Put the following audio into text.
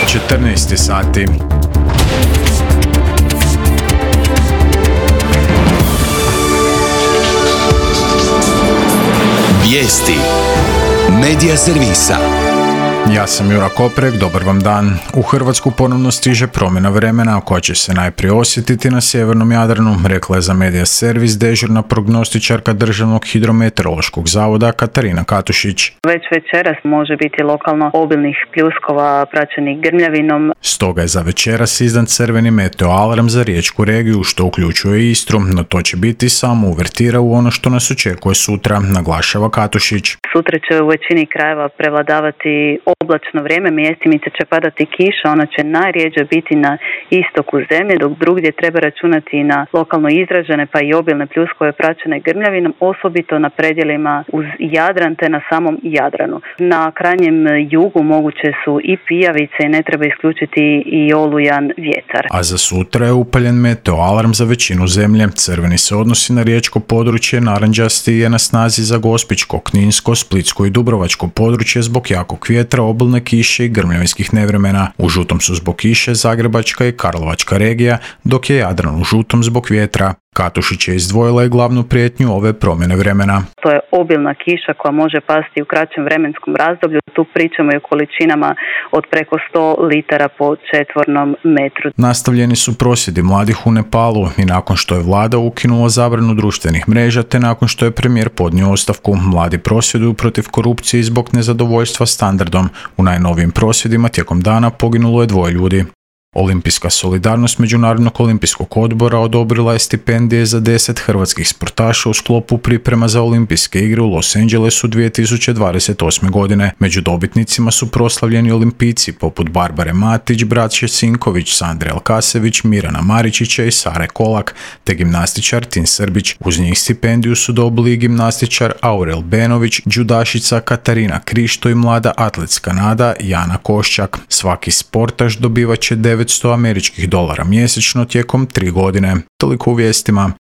14 sati. Vijesti Medija servisa. Ja sam Jura Koprek, dobar vam dan. U Hrvatsku ponovno stiže promjena vremena koja će se najprije osjetiti na sjevernom Jadranu, rekla je za Medija servis dežurna prognostičarka Državnog hidrometeorološkog zavoda Katarina Katušić. Već večeras može biti lokalno obilnih pljuskova praćenih grmljavinom. Stoga je za večeras izdan crveni meteo alarm za riječku regiju, što uključuje i Istru, no to će biti samo uvertira u ono što nas očekuje sutra, naglašava Katušić. Sutra će u većini krajeva prevladavati oblačno vrijeme, mjestimice će padati kiša, ona će najrjeđe biti na istoku zemlje, dok drugdje treba računati na lokalno izražene pa i obilne pljuskove praćene grmljavinom, osobito na predjelima uz Jadran te na samom Jadranu. Na krajnjem jugu moguće su i pijavice i ne treba isključiti i olujan vjetar. A za sutra je upaljen meteo alarm za većinu zemlje. Crveni se odnosi na riječko područje, narančasti je na snazi za Gospićko, Kninsko, Splitsko i Dubrovačko područje zbog jakog vjetra, obilne kiše i grmljavinskih nevremena. U žutom su zbog kiše Zagrebačka i Karlovačka regija, dok je Jadran u žutom zbog vjetra. Katušić je izdvojila i glavnu prijetnju ove promjene vremena. To je obilna kiša koja može pasti u kraćem vremenskom razdoblju. Tu pričamo i o količinama od preko 100 litara po četvornom metru. Nastavljeni su prosvjedi mladih u Nepalu i nakon što je vlada ukinula zabranu društvenih mreža te nakon što je premijer podnio ostavku. Mladi prosvjeduju protiv korupcije i zbog nezadovoljstva standardom. U najnovijim prosvjedima tijekom dana poginulo je 2 ljudi. Olimpijska solidarnost Međunarodnog olimpijskog odbora odobrila je stipendije za 10 hrvatskih sportaša u sklopu priprema za olimpijske igre u Los Angelesu 2028. godine. Među dobitnicima su proslavljeni olimpijci poput Barbare Matić, Braće Sinković, Sandre Alkasević, Mirana Maričića i Sare Kolak, te gimnastičar Tin Srbić. Uz njih stipendiju su dobili i gimnastičar Aurel Benović, džudašica Katarina Krišto i mlada atletska nada Jana Koščak. Svaki sportaš dobivat će $900 mjesečno tijekom 3 godine. Toliko u vijestima.